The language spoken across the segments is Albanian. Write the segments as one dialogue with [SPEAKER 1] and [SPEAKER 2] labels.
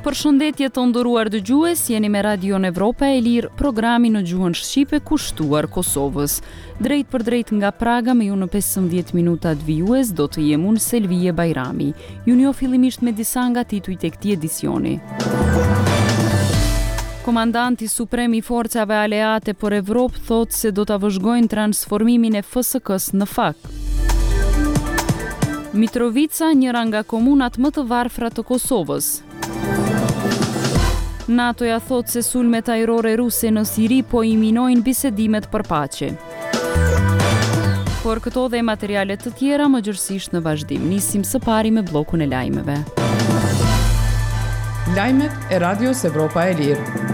[SPEAKER 1] Përshëndetje të nderuar dëgjues, jeni me Radion Evropa e Lirë, programi në gjuhën shqipe kushtuar Kosovës. Drejtpërdrejt nga Praga me ju në 15 minutat vijues do të jem unë Selvije Bajrami. Ju njoh fillimisht me disa nga titujt e këtij edicioni. Komandanti Suprem i Forcave Aleate për Evropë thotë se do ta vëzhgojnë transformimin e FSK-së në FAK. Mitrovica, njëra nga komunat më të varfra të Kosovës. NATO-ja thotë se sulmet ajrore ruse në Siri po i minojnë bisedimet për paqe. Por këto dhe materiale të tjera më gjerësisht në vazhdim. Nisim së pari me bllokun e lajmeve.
[SPEAKER 2] Lajmet e Radios Evropa e Lirë.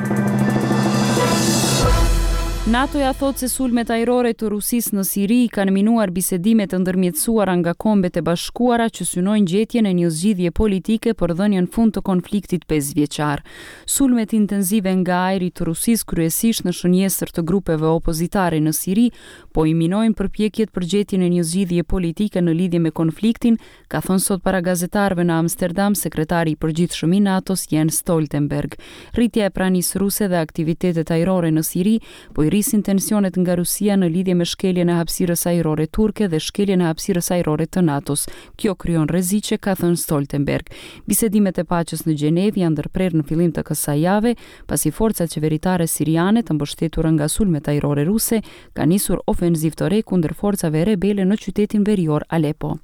[SPEAKER 1] NATO-ja thotë se sulmet ajrore të Rusisë në Siri kanë minuar bisedimet e ndërmjetësuara nga Kombet e Bashkuara që synojnë gjetjen e një zgjidhje politike për dhënien fund të konfliktit pesëvjeçar. Sulmet intensive nga ajri të Rusisë kryesisht në shënjestër të grupeve opozitare në Siri po i minojnë përpjekjet për gjetjen e një zgjidhje politike në lidhje me konfliktin, ka thënë sot para gazetarëve në Amsterdam sekretari i përgjithshëm i NATO-s Jens Stoltenberg. Rritja e pranisë ruse dhe aktivitetet ajrore në Siri po i rrisin tensionet nga Rusia në lidhje me shkeljen e hapësirës ajrore turke dhe shkeljen e hapësirës ajrore të NATO-s. Kjo krijon rreziqe, ka thënë Stoltenberg. Bisedimet e paqes në Gjenevë janë ndërprerë në fillim të kësaj jave, pasi forcat qeveritare siriane të mbështetura nga sulmet ajrore ruse kanë nisur ofenzivë të re kundër forcave rebele në qytetin verior Aleppo.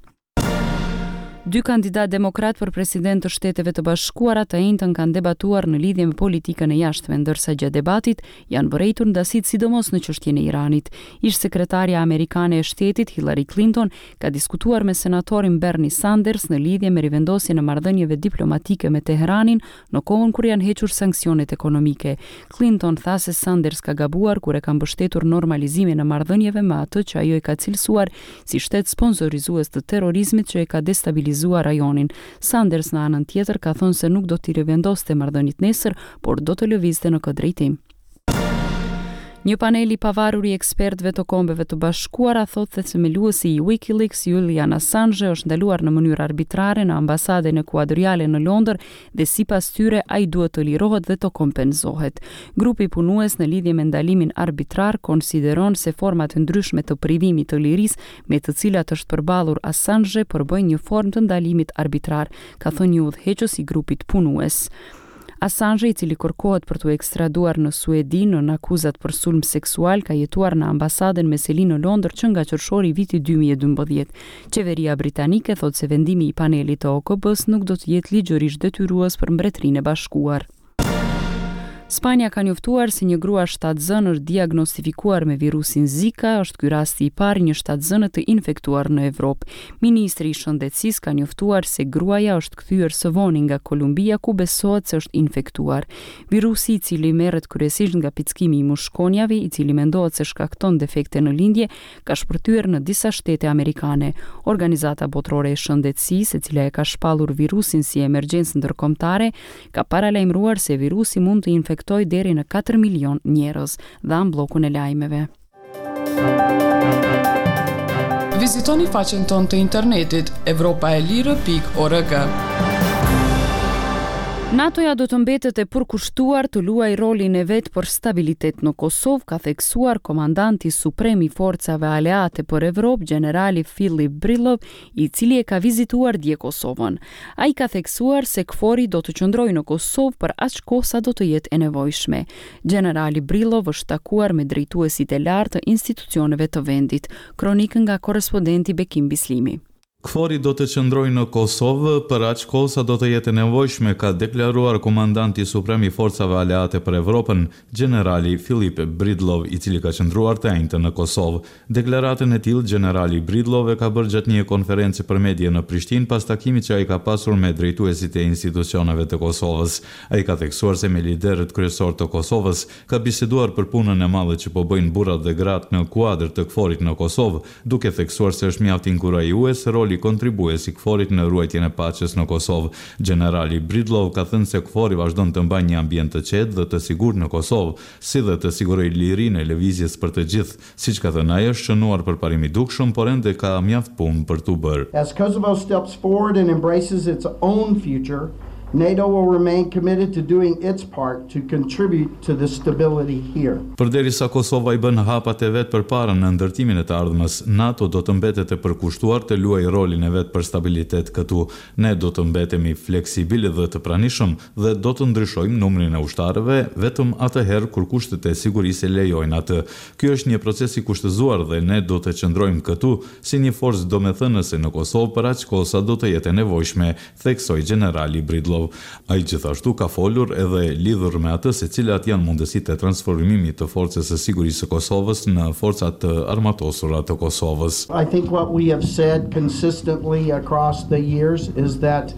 [SPEAKER 1] Dy kandidatë demokratë për president të Shteteve të Bashkuara të enjten kanë debatuar në lidhje me politikën e jashtme, ndërsa gjatë debatit janë vërejtur ndasitë sidomos në çështjen e Iranit. Ish-sekretarja amerikane e Shtetit, Hillary Clinton, ka diskutuar me senatorin Bernie Sanders në lidhje me rivendosjen e marrëdhënieve diplomatike me Teheranin në kohën kur janë hequr sanksionet ekonomike. Clinton tha se Sanders ka gabuar kur e ka mbështetur normalizimin e marrëdhënieve me atë që ajo e ka cilësuar si shtet sponsorizues të terrorizmit që e ka destabilizuar rajonin. Sanders në anën tjetër ka thënë se nuk do t'i rivendoste marrëdhëniet nesër, por do të lëvizte në këtë drejtim. Një panel i pavarur i ekspertëve të Kombeve të Bashkuara thotë se themeluesi i WikiLeaks, Julian Assange, është ndaluar në mënyrë arbitrare në ambasadën ekuadoriale në Londër dhe sipas tyre ai duhet të lirohet dhe të kompensohet. Grupi punues në lidhje me ndalimin arbitrar konsideron se format e ndryshme të privimit të lirisë me të cilat është përballur Assange përbëjnë një formë të ndalimit arbitrar, ka thënë një udhëheqës i grupit punues. Assange, i cili kërkohet për t'u ekstraduar në Suedi nën akuzat për sulm seksual, ka jetuar në ambasadën me seli në Londër që nga qershori i vitit 2012. Qeveria britanike thotë se vendimi i panelit të OKB-së nuk do të jetë ligjërisht detyrues për Mbretërinë e Bashkuar. Spanja ka njoftuar se një grua shtatzënë është diagnostifikuar me virusin Zika, është ky rasti i parë i një shtatzëne të infektuar në Evropë. Ministri i Shëndetësisë ka njoftuar se gruaja është kthyer së voni nga Kolumbia ku besohet se është infektuar. Virusi i cili merret kryesisht nga pickimi i mushkonjave, i cili mendohet se shkakton defekte në lindje, ka shpërthyer në disa shtete amerikane. Organizata Botërore e Shëndetësisë, e cila e ka shpallur virusin si emergjencë ndërkombëtare, ka paralajmëruar se virusi mund të infektojë deri në 4 milionë njerëz. Dhamë bllokun e lajmeve.
[SPEAKER 2] Vizitoni faqen tonë të internetit evropaelire.org.
[SPEAKER 1] NATO-ja do të mbetet e përkushtuar të luajë rolin e vet për stabilitet në Kosovë, ka theksuar komandanti suprem i forcave aleate për Evropë, gjenerali Philip Breedlove, i cili e ka vizituar dje Kosovën. Ai ka theksuar se KFOR-i do të qëndrojë në Kosovë për aq kohë sa do të jetë e nevojshme. Gjenerali Breedlove është takuar me drejtuesit e lartë të institucioneve të vendit. Kronikë nga korrespondenti Bekim Bislimi.
[SPEAKER 3] KFOR-i do të qëndrojë në Kosovë për aq kohë sa do të jetë e nevojshme, ka deklaruar komandanti suprem i Forcave Aleate për Evropën, gjenerali Philip Breedlove, i cili ka qëndruar të enjten në Kosovë. Deklaratën e tillë, gjenerali Breedlove e ka bërë gjatë një konference për medie në Prishtinë pas takimit që ai ka pasur me drejtuesit e institucioneve të Kosovës. Ai ka theksuar se me liderët kryesorë të Kosovës ka biseduar për punën e madhe që po bëjnë burrat dhe gratë në kuadër të KFOR-it në Kosovë, duke theksuar se është mjaft inkurajues roli kontribues i KFOR-it në ruajtjen e paqes në Kosovë. Gjenerali Breedlove ka thënë se KFOR-i vazhdon të mbajë një ambient të qetë dhe të sigurt në Kosovë, si dhe të sigurojë lirinë e lëvizjes për të gjithë. Siç ka thënë ai, është shënuar përparim i dukshëm, por ende ka mjaft punë për t'u bërë.
[SPEAKER 4] As Kosovo steps forward and embraces its own future, NATO will remain committed to doing its part to contribute to the stability here.
[SPEAKER 3] Përderisa Kosova i bën hapat e vet përpara në ndërtimin e të ardhmes, NATO do të mbetet e përkushtuar të luajë rolin e vet për stabilitet këtu. Ne do të mbetemi fleksibilë dhe të pranishëm dhe do të ndryshojmë numrin e ushtarëve vetëm atëherë kur kushtet e sigurisë e lejojnë atë. Ky është një proces i kushtëzuar dhe ne do të qëndrojmë këtu si një forcë domethënëse në Kosovë për aq kohë sa do të jetë e nevojshme, theksoi gjenerali Breedlove. Ai gjithashtu ka folur edhe lidhur me atë se cilat janë mundësitë e transformimit të Forcës së Sigurisë së Kosovës në Forca të Armatosura të Kosovës.
[SPEAKER 4] I think what we have said consistently across the years is that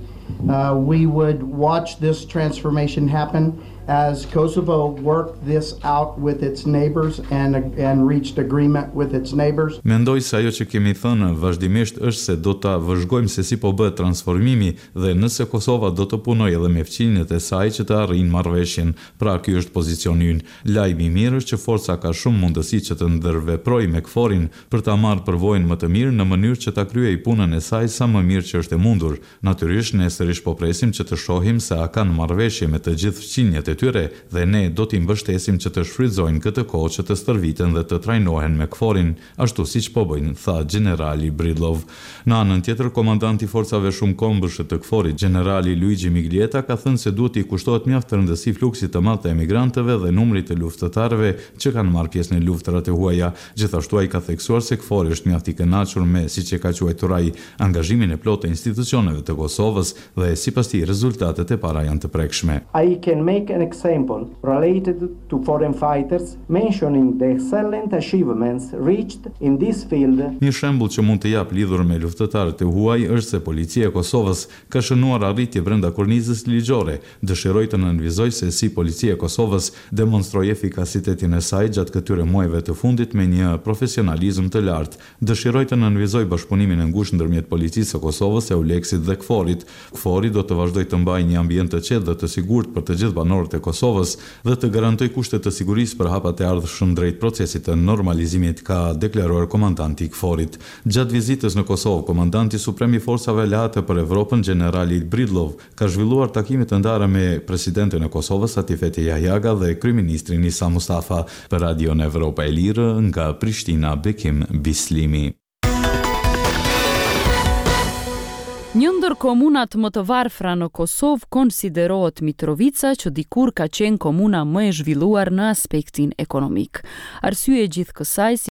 [SPEAKER 4] we would watch this transformation happen as Kosovo worked this out with its neighbors and and reached agreement with its neighbors.
[SPEAKER 3] Mendoj se ajo që kemi thënë vazhdimisht është se do ta vëzhgojmë se si po bëhet transformimi dhe nëse Kosova do të punojë edhe me fqinjët e saj që të arrijnë marrëveshjen. Pra ky është pozicioni ynë. Lajmi i mirë është që forca ka shumë mundësi që të ndërveprojë me KFOR-in për ta marrë përvojën më të mirë në mënyrë që ta kryejë punën e saj sa më mirë që është e mundur. Natyrisht, ne sërish po presim që të shohim se a kanë marrëveshje me të gjithë fqinjët e tyre dhe ne do t'i mbështesim që të shfrytëzojnë këtë kohë që të stërviten dhe të trajnohen me KFOR-in, ashtu siç po bëjnë, tha gjenerali Breedlove. Në anën tjetër, komandanti i forcave shumëkombëshe të KFOR-it, gjenerali Luigi Miglietta ka thënë se duhet t'i kushtohet mjaft rëndësi fluksit të madh të emigrantëve dhe numrit të luftëtarëve që kanë marrë pjesë në luftërat e huaja. Gjithashtu ai ka theksuar se KFOR-i është mjaft i kënaqur me, siç e ka quajtur ai, angazhimin e plotë të institucioneve të Kosovës dhe sipas tij rezultatet e para janë të prekshme.
[SPEAKER 5] I can make an example related to foreign fighters, mentioning the excellent achievements reached in this field.
[SPEAKER 3] Një shembull që mund të jap lidhur me luftëtarët e huaj është se Policia e Kosovës ka shënuar arritje brenda kornizës ligjore. Dëshiroj të nënvizoj se si Policia e Kosovës demonstroi efikasitetin e saj gjatë këtyre muajve të fundit me një profesionalizëm të lartë. Dëshiroj të nënvizoj bashkëpunimin e ngushtë ndërmjet Policisë së Kosovës, EULEX-it dhe KFOR-it. KFOR-i do të vazhdojë të mbajë një ambient të qetë dhe të sigurt për të gjithë banorët e Kosovës dhe të garantojë kushte të sigurisë për hapat e ardhshëm drejt procesit të normalizimit, ka deklaruar komandanti i KFOR-it. Gjatë vizitës në Kosovë, komandanti suprem i Forcave Aleate për Evropën, gjenerali Breedlove, ka zhvilluar takime të ndara me presidenten e Kosovës, Atifete Jahjaga dhe kryeministrin Isa Mustafa. Për Radion Evropa e Lirë, nga Prishtina, Bekim Bislimi.
[SPEAKER 1] Një ndër komunat më të varfra në Kosovë konsiderohet Mitrovica, që dikur ka qenë komuna më e zhvilluar në aspektin ekonomik. Arsye e gjithë kësaj.